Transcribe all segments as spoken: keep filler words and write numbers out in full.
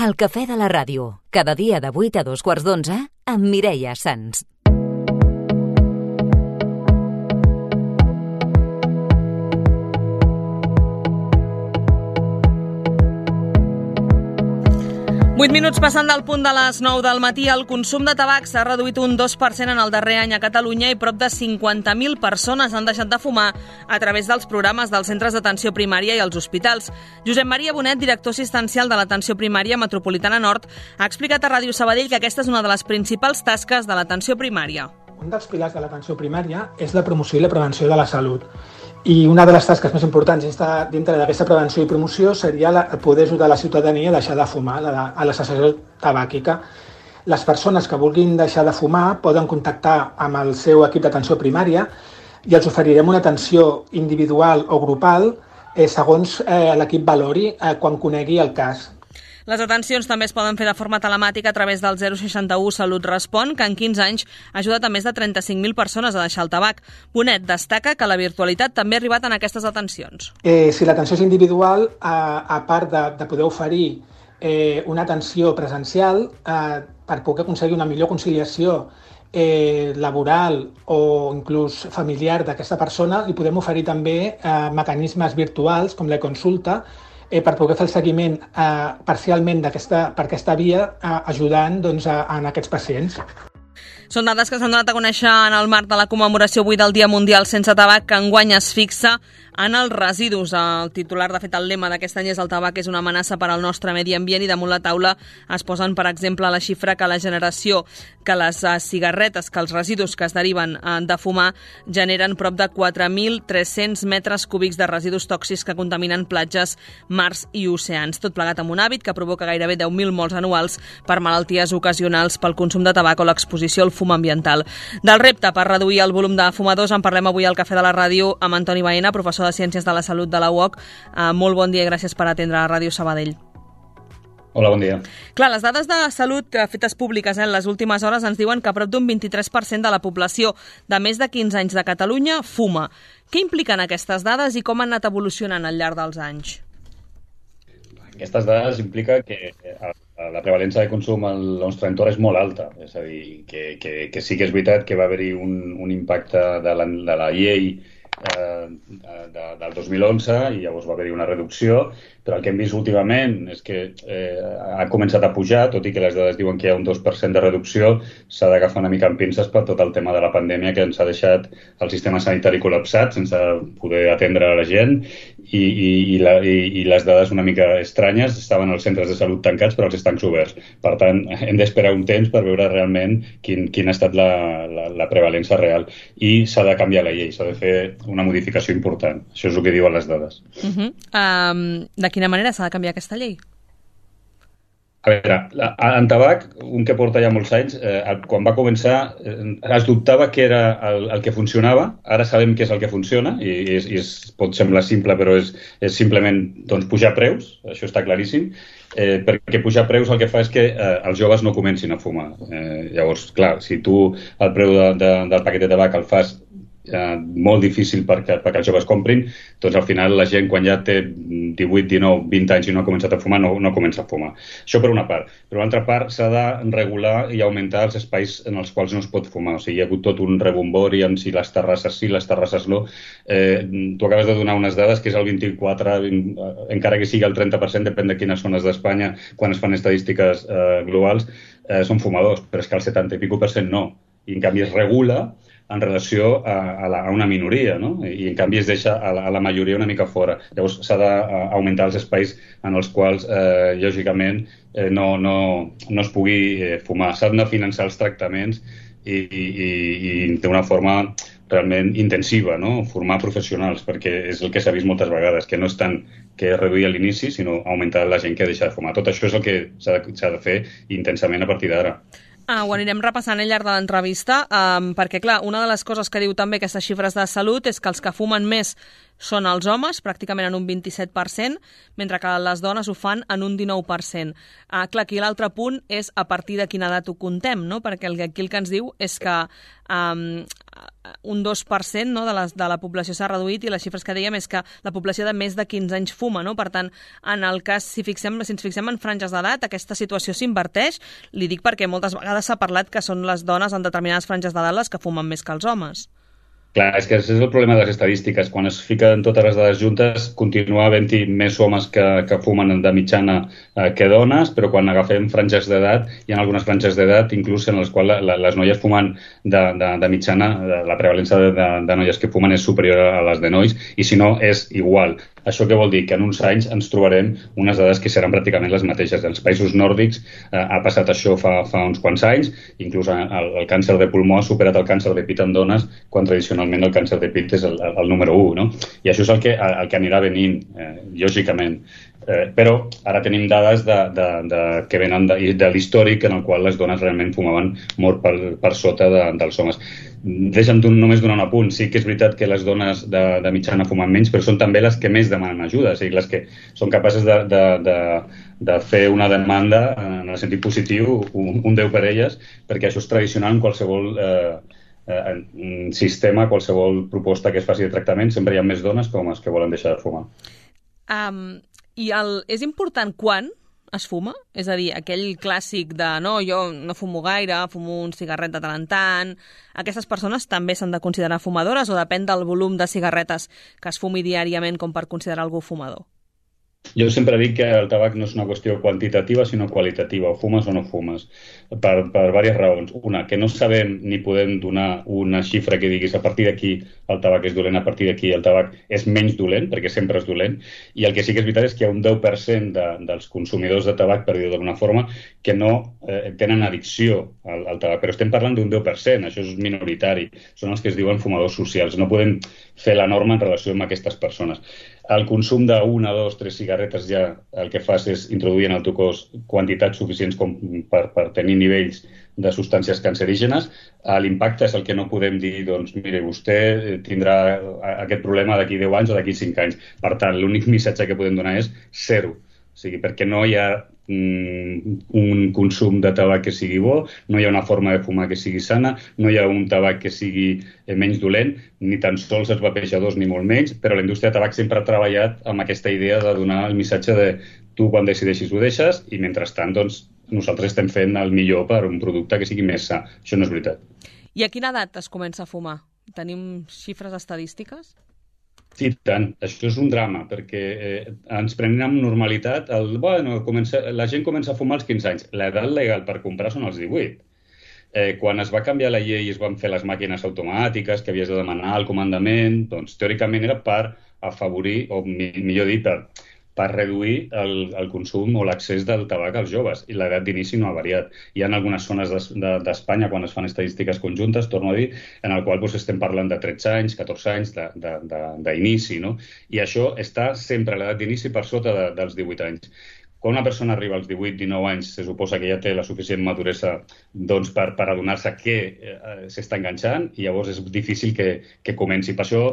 El cafè de la ràdio, cada dia de vuit a dos quarts d'onze, amb Mireia Sans. vuit minuts passant del punt de les nou del matí, el consum de tabac s'ha reduït un dos per cent en el darrer any a Catalunya i prop de cinquanta mil persones han deixat de fumar a través dels programes dels centres d'atenció primària i els hospitals. Josep Maria Bonet, director assistencial de l'Atenció Primària Metropolitana Nord, ha explicat a Ràdio Sabadell que aquesta és una de les principals tasques de l'atenció primària. Un dels pilars de l'atenció primària és la promoció i la prevenció de la salut. I una de les tasques més importants dintre d'aquesta prevenció i promoció seria la, poder ajudar la ciutadania a deixar de fumar, a la, a la cessació tabàquica. Les persones que vulguin deixar de fumar poden contactar amb el seu equip d'atenció primària i els oferirem una atenció individual o grupal eh, segons eh, l'equip valori eh, quan conegui el cas. Les atencions també es poden fer de forma telemàtica a través del zero seixanta u Salut Respon, que en quinze anys ha ajudat a més de trenta-cinc mil persones a deixar el tabac. Bonet destaca que la virtualitat també ha arribat en aquestes atencions. Eh, si l'atenció és individual, a, a part de, de poder oferir eh, una atenció presencial eh, per poder aconseguir una millor conciliació eh, laboral o inclús familiar d'aquesta persona, li podem oferir també eh, mecanismes virtuals com la consulta, Eh, per poder fer el seguiment eh, parcialment d'aquesta, per aquesta via, eh, ajudant doncs, a, a aquests pacients. Són dades que s'han donat a conèixer en el marc de la commemoració avui del Dia Mundial Sense Tabac, que enguany es fixa en els residus. El titular, de fet, el lema d'aquest any és el tabac és una amenaça per al nostre medi ambient i damunt la taula es posen, per exemple, la xifra que la generació, que les uh, cigarretes, que els residus que es deriven uh, de fumar generen prop de quatre mil tres-cents metres cúbics de residus tòxics que contaminen platges, mars i oceans. Tot plegat amb un hàbit que provoca gairebé deu mil morts anuals per malalties ocasionals pel consum de tabac o l'exposició al fum ambiental. Del repte per reduir el volum de fumadors en parlem avui al Cafè de la Ràdio amb Antoni Baena, professor de Ciències de la Salut de la U O C. Uh, molt bon dia i gràcies per atendre a Ràdio Sabadell. Hola, bon dia. Clar, les dades de salut fetes públiques en eh, les últimes hores ens diuen que prop d'un vint-i-tres per cent de la població de més de quinze anys de Catalunya fuma. Què impliquen aquestes dades i com han anat evolucionant al llarg dels anys? Aquestes dades implica que la prevalença de consum al nostre entorn és molt alta. És a dir, que, que, que sí que és veritat que va haver-hi un, un impacte de la, de la llei eh, de, del dos mil onze i llavors va haver-hi una reducció, però el que hem vist últimament és que eh, ha començat a pujar, tot i que les dades diuen que hi ha un dos per cent de reducció, s'ha d'agafar una mica amb pinces per tot el tema de la pandèmia que ens ha deixat el sistema sanitari col·lapsat sense poder atendre a la gent i, i, i, la, i, i les dades una mica estranyes, estaven els centres de salut tancats però els estancs oberts. Per tant, hem d'esperar un temps per veure realment quin, quin ha estat la, la, la prevalença real i s'ha de canviar la llei, s'ha de fer una modificació important. Això és el que diuen les dades. Uh-huh. Um, de quina manera s'ha de canviar aquesta llei? A veure, en tabac, un que porta ja molts anys, eh, quan va començar eh, es dubtava què era el, el que funcionava, ara sabem què és el que funciona i, i, és, i és, pot semblar simple però és, és simplement doncs, pujar preus, això està claríssim, eh, perquè pujar preus el que fa és que eh, els joves no comencin a fumar. Eh, llavors, clar, si tu el preu de, de, del paquet de tabac el fas Eh, molt difícil perquè, perquè els joves comprin, doncs al final la gent quan ja té divuit, dinou, vint anys i no ha començat a fumar, no, no comença a fumar. Això per una part. Per l'altra part s'ha de regular i augmentar els espais en els quals no es pot fumar. O sigui, hi ha hagut tot un rebombori amb si les terrasses sí, les terrasses no. Eh, tu acabes de donar unes dades que és el vint-i-quatre, vint, encara que sigui el trenta per cent, depèn de quines zones d'Espanya, quan es fan estadístiques eh, globals, eh, són fumadors, però és que el setanta i pico per cent no. I en canvi es regula en relació a, a, la, a una minoria, no? I en canvi es deixa a la, a la majoria una mica fora. Llavors s'ha d'augmentar els espais en els quals, eh, lògicament, eh, no, no, no es pugui eh, fumar. S'han de finançar els tractaments i, i, i d'una forma realment intensiva, no? Formar professionals, perquè és el que s'ha vist moltes vegades, que no és tant que reduir a l'inici, sinó augmentar la gent que deixa de fumar. Tot això és el que s'ha de, s'ha de fer intensament a partir d'ara. Ah, ho anirem repassant al llarg de l'entrevista, um, perquè, clar, una de les coses que diu també aquestes xifres de salut és que els que fumen més són els homes, pràcticament en un vint-i-set per cent, mentre que les dones ho fan en un dinou per cent. Uh, clar, aquí l'altre punt és a partir de quina edat ho contem, no? Perquè el, aquí el que ens diu és que um, un dos per cent, no, de, la, de la població s'ha reduït i les xifres que dèiem és que la població de més de quinze anys fuma, no? Per tant, en el cas, si, fixem, si ens fixem en franges d'edat, aquesta situació s'inverteix. Li dic perquè moltes vegades s'ha parlat que són les dones en determinades franges d'edat les que fumen més que els homes. Clar, és que és el problema de les estadístiques. Quan es fiquen totes les dades juntes, continua havent-hi més homes que, que fumen de mitjana eh, que dones, però quan agafem franges d'edat, hi ha algunes franges d'edat, inclús en les quals la, la, les noies fumen de, de, de mitjana, de, la prevalença de, de, de noies que fumen és superior a les de nois, i si no, és igual. Això què vol dir? Que en uns anys ens trobarem unes dades que seran pràcticament les mateixes. Els països nòrdics eh, ha passat això fa, fa uns quants anys, inclús el, el càncer de pulmó ha superat el càncer de pit en dones, quan tradicionalment el càncer de pit és el, el número u, no? I això és el que, el que anirà venint, eh, lògicament. Eh, però ara tenim dades de, de, de, que venen de, de l'històric en el qual les dones realment fumaven molt per, per sota de, dels homes. Deixa'm només donar un apunt. Sí que és veritat que les dones de, de mitjana fumen menys, però són també les que més demanen ajuda, o sigui, les que són capaces de, de, de, de fer una demanda en el sentit positiu, un, un deu per elles, perquè això és tradicional en qualsevol eh, eh, sistema, qualsevol proposta que es faci de tractament, sempre hi ha més dones que homes que volen deixar de fumar. Um, I el, és important quan es fuma? És a dir, aquell clàssic de no, jo no fumo gaire, fumo un cigarret de tant en tant. Aquestes persones també s'han de considerar fumadores o depèn del volum de cigarretes que es fumi diàriament com per considerar algú fumador? Jo sempre dic que el tabac no és una qüestió quantitativa, sinó qualitativa, o fumes o no fumes, per, per diverses raons. Una, que no sabem ni podem donar una xifra que diguis a partir d'aquí el tabac és dolent, a partir d'aquí el tabac és menys dolent, perquè sempre és dolent, i el que sí que és veritat és que hi ha un deu per cent de, dels consumidors de tabac, per dir-ho d'alguna forma, que no eh, tenen addicció al, al tabac, però estem parlant d'un deu per cent, això és minoritari, són els que es diuen fumadors socials, no podem fer la norma en relació amb aquestes persones. El consum d'una, dos, tres cigarretes ja el que fas és introduir en el teu cos quantitats suficients com per, per tenir nivells de substàncies cancerígenes. L'impacte és el que no podem dir, doncs, mire, vostè tindrà aquest problema d'aquí deu anys o d'aquí cinc anys. Per tant, l'únic missatge que podem donar és zero. O sigui, perquè no hi ha mm, un consum de tabac que sigui bo, no hi ha una forma de fumar que sigui sana, no hi ha un tabac que sigui eh, menys dolent, ni tan sols els vapejadors ni molt menys, però la indústria de tabac sempre ha treballat amb aquesta idea de donar el missatge de tu quan decideixis ho deixes i mentrestant doncs, nosaltres estem fent el millor per un producte que sigui més sa. Això no és veritat. I a quina edat es comença a fumar? Tenim xifres estadístiques? Sí, tant. Això és un drama, perquè eh, ens prenem amb normalitat. El, bueno, comença, la gent comença a fumar als quinze anys. L'edat legal per comprar són els divuit. Eh, quan es va canviar la llei i es van fer les màquines automàtiques que havies de demanar el comandament, doncs teòricament era per afavorir, o mi, millor dit, per, per reduir el, el consum o l'accés del tabac als joves. I l'edat d'inici no ha variat. Hi ha algunes zones d'Espanya, de, de, quan es fan estadístiques conjuntes, torno a dir, en el qual doncs, estem parlant de tretze anys, catorze anys d'inici, no? I això està sempre, l'edat d'inici, per sota de, dels divuit anys. Quan una persona arriba als divuit dinou anys, se suposa que ja té la suficient maduresa doncs, per, per adonar-se que eh, s'està enganxant i llavors és difícil que, que comenci. Per això,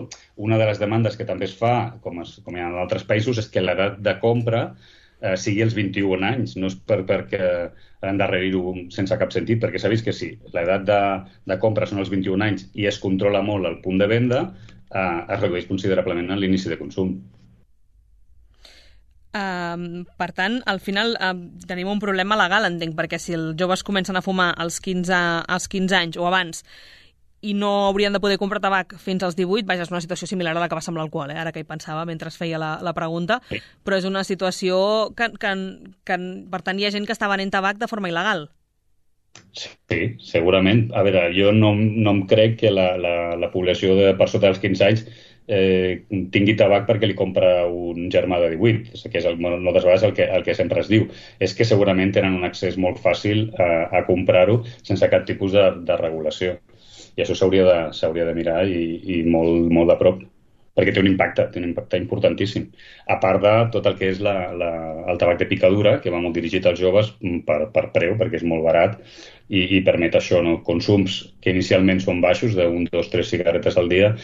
una de les demandes que també es fa, com, es, com hi ha en altres països, és que l'edat de compra eh, sigui els vint-i-un anys. No és per, perquè endarrerir-ho sense cap sentit, perquè s'ha vist que sí, l'edat de, de compra són els vint-i-un anys i es controla molt el punt de venda, eh, es redueix considerablement en l'inici de consum. Uh, per tant, al final uh, tenim un problema legal, entenc, perquè si els joves comencen a fumar als quinze, als quinze anys o abans i no haurien de poder comprar tabac fins als divuit, vaja, és una situació similar a la que passa amb l'alcohol, eh? Ara que hi pensava mentre es feia la, la pregunta, sí. Però és una situació que, que, que, per tant, hi ha gent que està venent tabac de forma il·legal. Sí, segurament. A veure, jo no, no em crec que la, la, la població de per sota dels quinze anys eh, tingui tabac perquè li compra un germà de divuit, que és el, moltes vegades el que, el que sempre es diu. És que segurament tenen un accés molt fàcil a, a comprar-ho sense cap tipus de, de regulació. I això s'hauria de, s'hauria de mirar i, i molt, molt de prop. perquè té un impacte, té un impacte importantíssim. A part de tot el que és la, la, el tabac de picadura, que va molt dirigit als joves per, per preu, perquè és molt barat, i, i permet això, no? Consums que inicialment són baixos, d'un, dos, tres cigaretes al dia,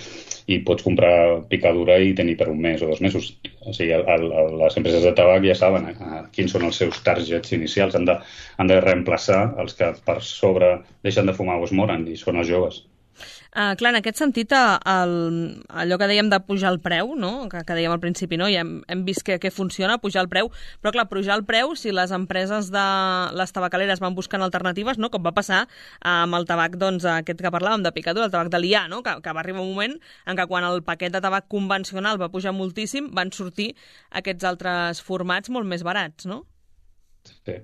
i pots comprar picadura i tenir per un mes o dos mesos. O sigui, el, el, les empreses de tabac ja saben eh, quins són els seus targets inicials. Han de, han de reemplaçar els que per sobre deixen de fumar o es moren, i són els joves. Uh, clar, en aquest sentit, el, allò que dèiem de pujar el preu, no? que, que dèiem al principi, no? ja hem, hem vist que, que funciona, pujar el preu, però clar, pujar el preu, si les empreses de les tabacaleres van buscant alternatives, no? com va passar amb el tabac, doncs, aquest que parlàvem, de picadura, el tabac de liar, no? que, que va arribar un moment en què quan el paquet de tabac convencional va pujar moltíssim, van sortir aquests altres formats molt més barats, no? Sí.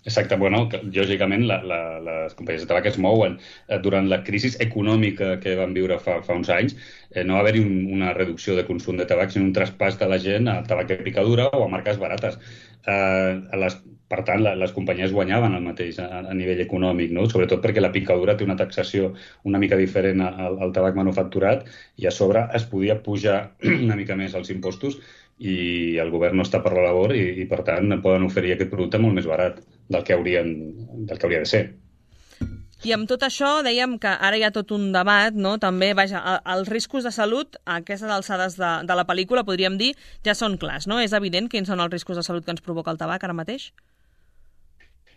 Exacte, bueno, que, lògicament la, la, les companyies de tabac es mouen. Eh, durant la crisi econòmica que vam viure fa, fa uns anys, eh, no va haver-hi un, una reducció de consum de tabac, sinó un traspàs de la gent a tabac de picadura o a marques barates. Eh, a les, per tant, la, les companyies guanyaven el mateix a, a nivell econòmic, no? Sobretot perquè la picadura té una taxació una mica diferent al, al tabac manufacturat, i a sobre es podia pujar una mica més els impostos, i el govern no està per la labor, i, i per tant poden oferir aquest producte molt més barat del que, haurien, del que hauria de ser. I amb tot això dèiem que ara hi ha tot un debat, no? També, vaja, els riscos de salut a aquestes alçades de, de la pel·lícula, podríem dir, ja són clars, no? És evident quins són els riscos de salut que ens provoca el tabac ara mateix?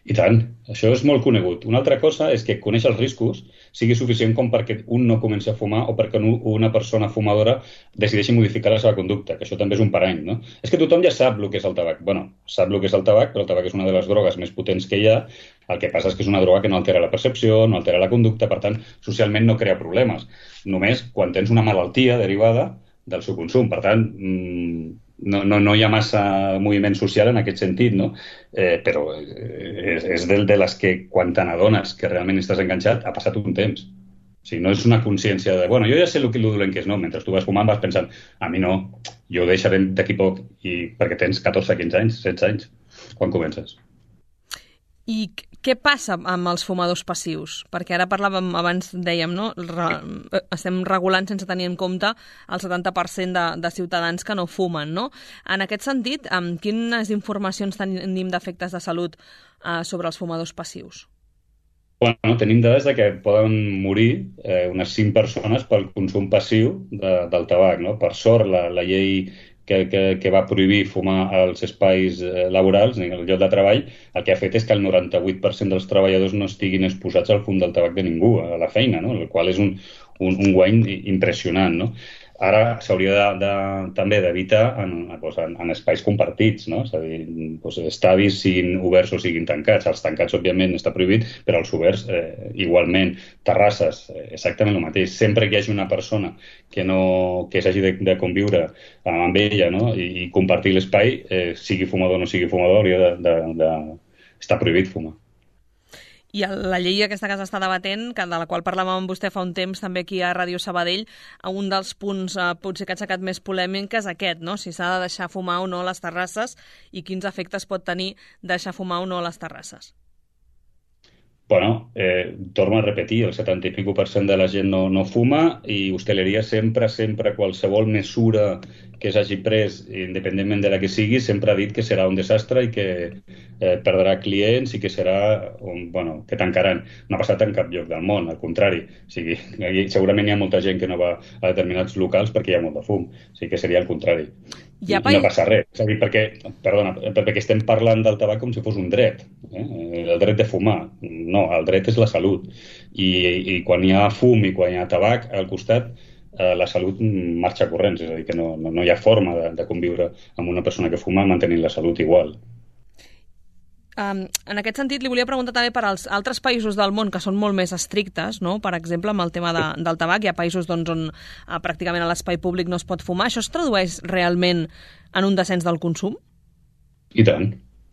I tant, això és molt conegut. Una altra cosa és que conèixer els riscos sigui suficient com perquè un no comenci a fumar o perquè una persona fumadora decideixi modificar la seva conducta, que això també és un parany, no? És que tothom ja sap el que és el tabac. Bueno, sap el que és el tabac, però el tabac és una de les drogues més potents que hi ha. El que passa és que és una droga que no altera la percepció, no altera la conducta, per tant, socialment no crea problemes. Només quan tens una malaltia derivada del seu consum. Per tant, mmm, No, no, no hi ha massa moviment social en aquest sentit, no? Eh, però és, és del de les que, quan te n'adones que realment estàs enganxat, ha passat un temps. O sigui, no és una consciència de, bueno, jo ja sé el que dolent que és, no? Mentre tu vas fumant vas pensant, a mi no, jo ho deixaré d'aquí poc, i perquè tens catorze, quinze anys, setze anys, quan comences. I què passa amb els fumadors passius? Perquè ara parlàvem, abans dèiem, no? Re, estem regulant sense tenir en compte el setanta per cent de, de ciutadans que no fumen, no? En aquest sentit, amb quines informacions tenim d'efectes de salut eh, sobre els fumadors passius? Bueno, tenim dades de que poden morir eh, unes cinc persones pel consum passiu de, del tabac, no? Per sort, la, la llei Que, que, que va prohibir fumar als espais eh, laborals, al lloc de treball, el que ha fet és que el noranta-vuit per cent dels treballadors no estiguin exposats al fum del tabac de ningú a la feina, no? El qual és un, un, un guany impressionant, no? Ara s'hauria de, de, també d'evitar en, en, en espais compartits, no? És a dir, doncs, estadis siguin oberts o siguin tancats. Els tancats, òbviament, està prohibit, però els oberts, eh, igualment. Terrasses, eh, exactament el mateix. Sempre que hi hagi una persona que, no, que s'hagi de, de conviure amb ella, no? I, i compartir l'espai, eh, sigui fumador o no sigui fumador, hauria de, de, de... està prohibit fumar. I la llei aquesta que s'està debatent, que de la qual parlàvem amb vostè fa un temps també aquí a Ràdio Sabadell, un dels punts eh, potser que ha aixecat més polèmic és aquest, no? Si s'ha de deixar fumar o no a les terrasses i quins efectes pot tenir deixar fumar o no a les terrasses. Bueno, eh, torno a repetir, el setanta i pico per cent de la gent no, no fuma, i hostaleria sempre, sempre, qualsevol mesura que s'hagi pres, independentment de la que sigui, sempre ha dit que serà un desastre i que eh, perdrà clients i que serà, un, bueno, que tancaran. No ha passat en cap lloc del món, al contrari. O sigui, segurament hi ha molta gent que no va a determinats locals perquè hi ha molt de fum. O sigui que seria el contrari. I, i no passa res. És a dir, perquè, perdona, perquè estem parlant del tabac com si fos un dret. Eh? El dret de fumar. No, el dret és la salut. I, i quan hi ha fum i quan hi ha tabac al costat, eh, la salut marxa corrents. És a dir, que no, no, no hi ha forma de, de conviure amb una persona que fuma mantenint la salut igual. Um, en aquest sentit, li volia preguntar també per als altres països del món que són molt més estrictes, no? Per exemple, amb el tema de, del tabac, hi ha països doncs, on uh, pràcticament a l'espai públic no es pot fumar. Això es tradueix realment en un descens del consum? I tant.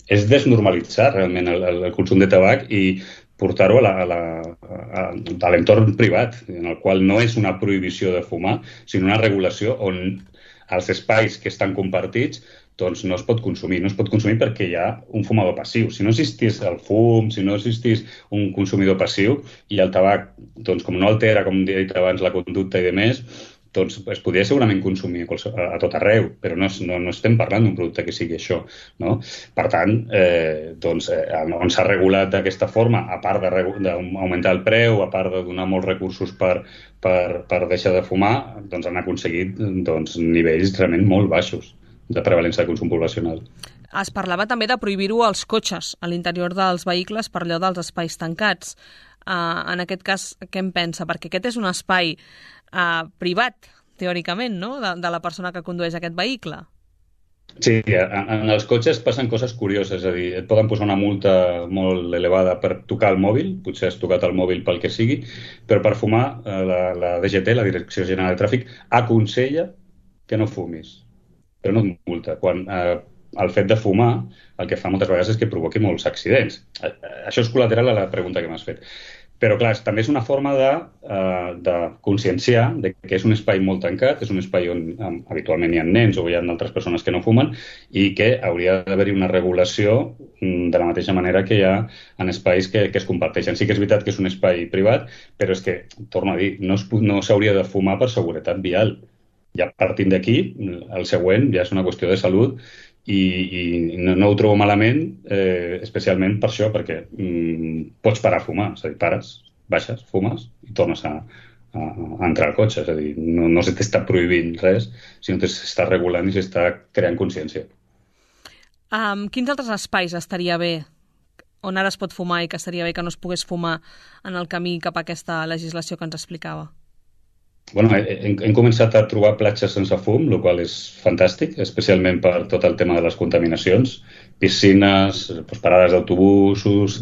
És desnormalitzar realment el, el, el consum de tabac i portar-ho a, la, a, la, a, a l'entorn privat, en el qual no és una prohibició de fumar, sinó una regulació on els espais que estan compartits doncs no es pot consumir. No es pot consumir perquè hi ha un fumador passiu. Si no existís el fum, si no existís un consumidor passiu, i el tabac, doncs com no altera, com he dit abans, la conducta i demés, doncs es podria segurament consumir a, a tot arreu, però no, no, no estem parlant d'un producte que sigui això, no? Per tant, eh, doncs, eh, on s'ha regulat d'aquesta forma, a part d'augmentar el preu, a part de donar molts recursos per, per, per deixar de fumar, doncs han aconseguit doncs, nivells realment molt baixos de prevalència de consum poblacional. Es parlava també de prohibir-ho als cotxes, a l'interior dels vehicles, per allò dels espais tancats. Uh, en aquest cas, què en pensa? Perquè aquest és un espai Uh, privat, teòricament, no? De, de la persona que condueix aquest vehicle. Sí, en, en els cotxes passen coses curioses, és a dir, et poden posar una multa molt elevada per tocar el mòbil, potser has tocat el mòbil pel que sigui, però per fumar la, la D G T, la Direcció General de Tràfic, aconsella que no fumis, però no et multa. Quan eh, el fet de fumar el que fa moltes vegades és que provoqui molts accidents. Això és col·lateral a la pregunta que m'has fet. Però, clar, també és una forma de, uh, de conscienciar de que és un espai molt tancat, és un espai on um, habitualment hi ha nens o hi ha altres persones que no fumen i que hauria d'haver-hi una regulació um, de la mateixa manera que hi ha en espais que, que es comparteixen. Sí que és veritat que és un espai privat, però és que, torno a dir, no, es, no s'hauria de fumar per seguretat vial. Ja partint d'aquí, el següent ja és una qüestió de salut i, i no, no ho trobo malament, eh, especialment per això, perquè mm, pots parar a fumar, és a dir, pares, baixes, fumes i tornes a, a, a entrar al cotxe, és a dir, no, no se t'està prohibint res, sinó que s'està regulant i s'està creant consciència. Um, quins altres espais estaria bé on ara es pot fumar i que estaria bé que no es pogués fumar en el camí cap a aquesta legislació que ens explicava? Bueno, hem, hem començat a trobar platges sense fum, el qual és fantàstic, especialment per tot el tema de les contaminacions, piscines, doncs, parades d'autobusos,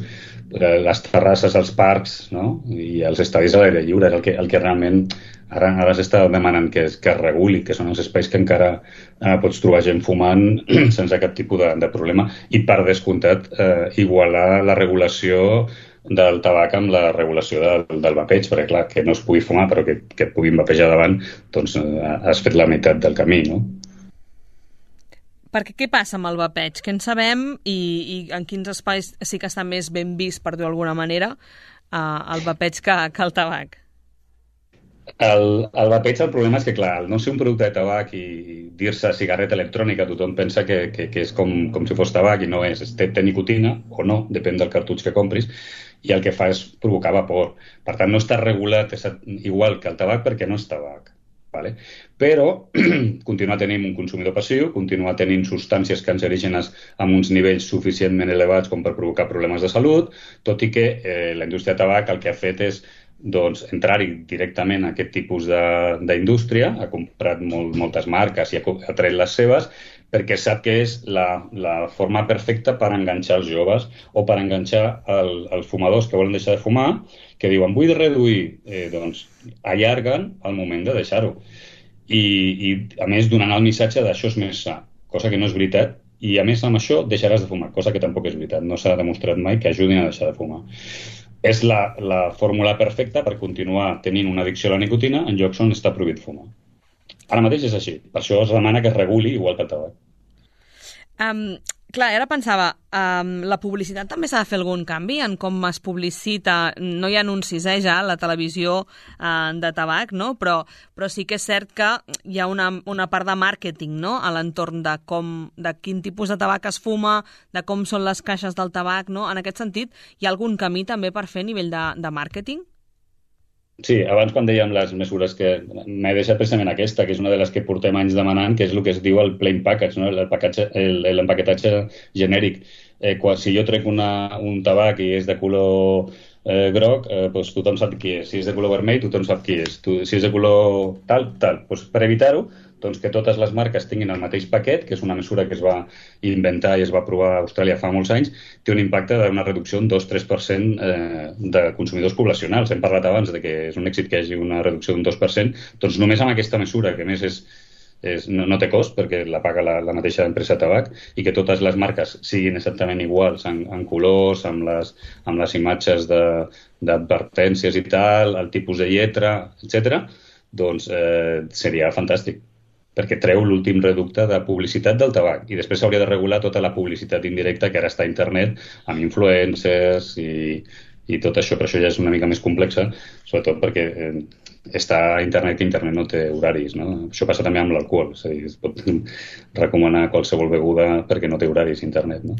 les terrasses als parcs, no? I els estadis a l'aire lliure, és el que, el que realment ara, ara s'està demanant que es, que es reguli, que són els espais que encara eh, pots trobar gent fumant sense cap tipus de, de problema i, per descomptat, eh, igualar la regulació del tabac amb la regulació del, del vapeig, perquè clar, que no es pugui fumar però que, que et puguin vapejar davant, doncs has fet la meitat del camí, no? Perquè què passa amb el vapeig? Què en sabem i, i en quins espais sí que està més ben vist, per dir-ho d'alguna manera, uh, el vapeig que, que el tabac? El, el vapeig, el problema és que, clar, al no ser un producte de tabac i dir-se cigarreta electrònica, tothom pensa que, que, que és com, com si fos tabac i no és. Té, té nicotina o no, depèn del cartutx que compris, i el que fa és provocar vapor. Per tant, no està regulat igual que el tabac perquè no és tabac. Vale? Però continua tenint un consumidor passiu, continua tenint substàncies cancerígenes amb uns nivells suficientment elevats com per provocar problemes de salut, tot i que eh, la indústria de tabac el que ha fet és doncs, entrar-hi directament a aquest tipus d'indústria, ha comprat molt, moltes marques i ha, ha tret les seves, perquè sap que és la, la forma perfecta per enganxar els joves o per enganxar el, els fumadors que volen deixar de fumar, que diuen vull reduir, eh, doncs allarguen el moment de deixar-ho. I, I a més donant el missatge d'això és més sa, cosa que no és veritat, i a més amb això deixaràs de fumar, cosa que tampoc és veritat, no s'ha demostrat mai que ajudin a deixar de fumar. És la, la fórmula perfecta per continuar tenint una addicció a la nicotina en llocs on està prohibit fumar. Ara mateix és així. Per això es demana que es reguli igual que el tabac. Um, clar, ara pensava, um, la publicitat també s'ha de fer algun canvi en com es publicita. No hi ha anuncis, eh, ja, a la televisió uh, de tabac, no? Però, però sí que és cert que hi ha una, una part de màrqueting, no?, a l'entorn de com, de quin tipus de tabac es fuma, de com són les caixes del tabac, no? En aquest sentit, hi ha algun camí també per fer a nivell de, de màrqueting? Sí, abans quan dèiem les mesures que m'he deixat precisament aquesta, que és una de les que portem anys demanant, que és el que es diu el plain package, no? L'empaquetatge genèric. Eh, quan, si jo trec una, un tabac i és de color eh, groc, eh, doncs tothom sap qui és. Si és de color vermell, tothom sap qui és. Tu, si és de color tal, tal. Doncs per evitar-ho, doncs que totes les marques tinguin el mateix paquet, que és una mesura que es va inventar i es va aprovar a Austràlia fa molts anys, té un impacte d'una reducció d'un dos a tres per cent eh, de consumidors poblacionals. Hem parlat abans de que és un èxit que hi hagi una reducció d'un dos per cent, doncs només amb aquesta mesura, que a més és, és, no, no té cost perquè la paga la, la mateixa empresa de tabac, i que totes les marques siguin exactament iguals en, en colors, amb les, amb les imatges d'advertències i tal, el tipus de lletra, etcètera, doncs eh, seria fantàstic, perquè treu l'últim reducte de publicitat del tabac. I després s'hauria de regular tota la publicitat indirecta que ara està a internet, amb influencers i, i tot això, però això ja és una mica més complexa, sobretot perquè eh, està a internet, que internet no té horaris, no? Això passa també amb l'alcohol, és a dir, es pot recomanar qualsevol beguda perquè no té horaris internet, no?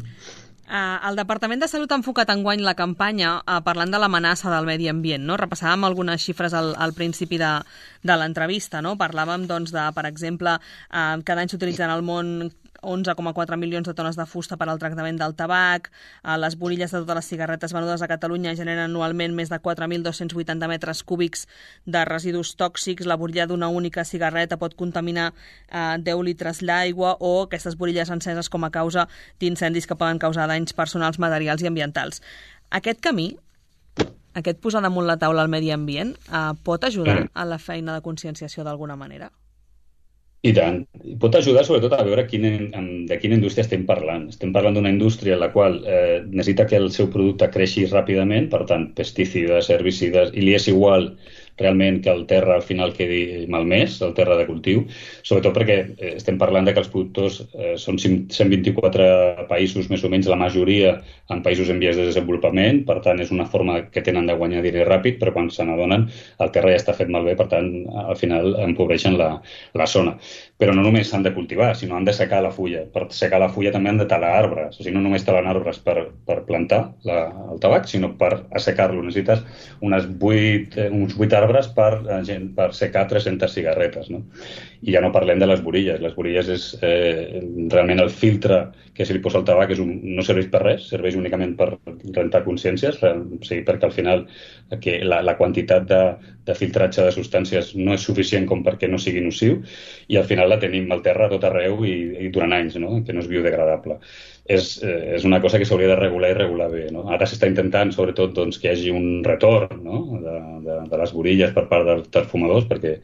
Uh, el Departament de Salut ha enfocat enguany la campanya uh, parlant de l'amenaça del medi ambient, no? Repassàvem algunes xifres al, al principi de, de l'entrevista, no? Parlàvem, doncs, de, per exemple, uh, cada any s'utilitzen al món onze coma quatre milions de tones de fusta per al tractament del tabac, uh, les borilles de totes les cigarretes venudes a Catalunya generen anualment més de quatre mil dos-cents vuitanta metres cúbics de residus tòxics, la borilla d'una única cigarreta pot contaminar uh, deu litres d'aigua, o aquestes borilles enceses com a causa d'incendis que poden causar danys personals, materials i ambientals. Aquest camí, aquest posar damunt la taula al medi ambient, uh, pot ajudar a la feina de conscienciació d'alguna manera? I tant. Pot ajudar sobretot a veure quina, de quina indústria estem parlant. Estem parlant d'una indústria en la qual eh, necessita que el seu producte creixi ràpidament, per tant, pesticides, herbicides, i li és igual realment que el terra al final quedi malmès, el terra de cultiu, sobretot perquè eh, estem parlant de que els productors eh, són cent vint-i-quatre països, més o menys, la majoria en països en vies de desenvolupament, per tant, és una forma que tenen de guanyar diners ràpid, però quan se n'adonen el terra ja està fet malbé, per tant, al final empobreixen la, la zona. Però no només s'han de cultivar, sinó han de secar la fulla. Per secar la fulla també han de talar arbres. O sigui, no només talen arbres per, per plantar la, el tabac, sinó per assecar-lo. Necessites unes vuit, uns vuit arbres per, per secar tres-centes cigarretes, no? I ja no parlem de les borilles. Les borilles és eh, realment el filtre que se li posa al tabac, és un, no serveix per res, serveix únicament per rentar consciències, o sigui, perquè al final que la, la quantitat de, de filtratge de substàncies no és suficient com perquè no sigui nociu, i al final la tenim al terra a tot arreu i, i durant anys, no? Que no és biodegradable. És, eh, és una cosa que s'hauria de regular i regular bé, no? Ara s'està intentant, sobretot, doncs, que hi hagi un retorn, no? de, de, de les borilles per part dels, dels fumadors, perquè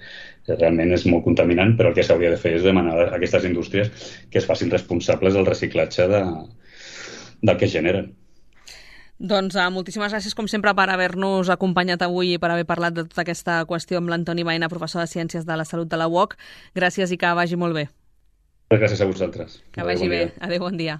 realment és molt contaminant, però el que s'hauria de fer és demanar a aquestes indústries que es facin responsables del reciclatge de, del que es generen. Doncs uh, moltíssimes gràcies, com sempre, per haver-nos acompanyat avui i per haver parlat de tota aquesta qüestió amb l'Antoni Baena, professor de Ciències de la Salut de la U O C. Gràcies i que vagi molt bé. Gràcies a vosaltres. Que vagi bé. Adéu, bon dia.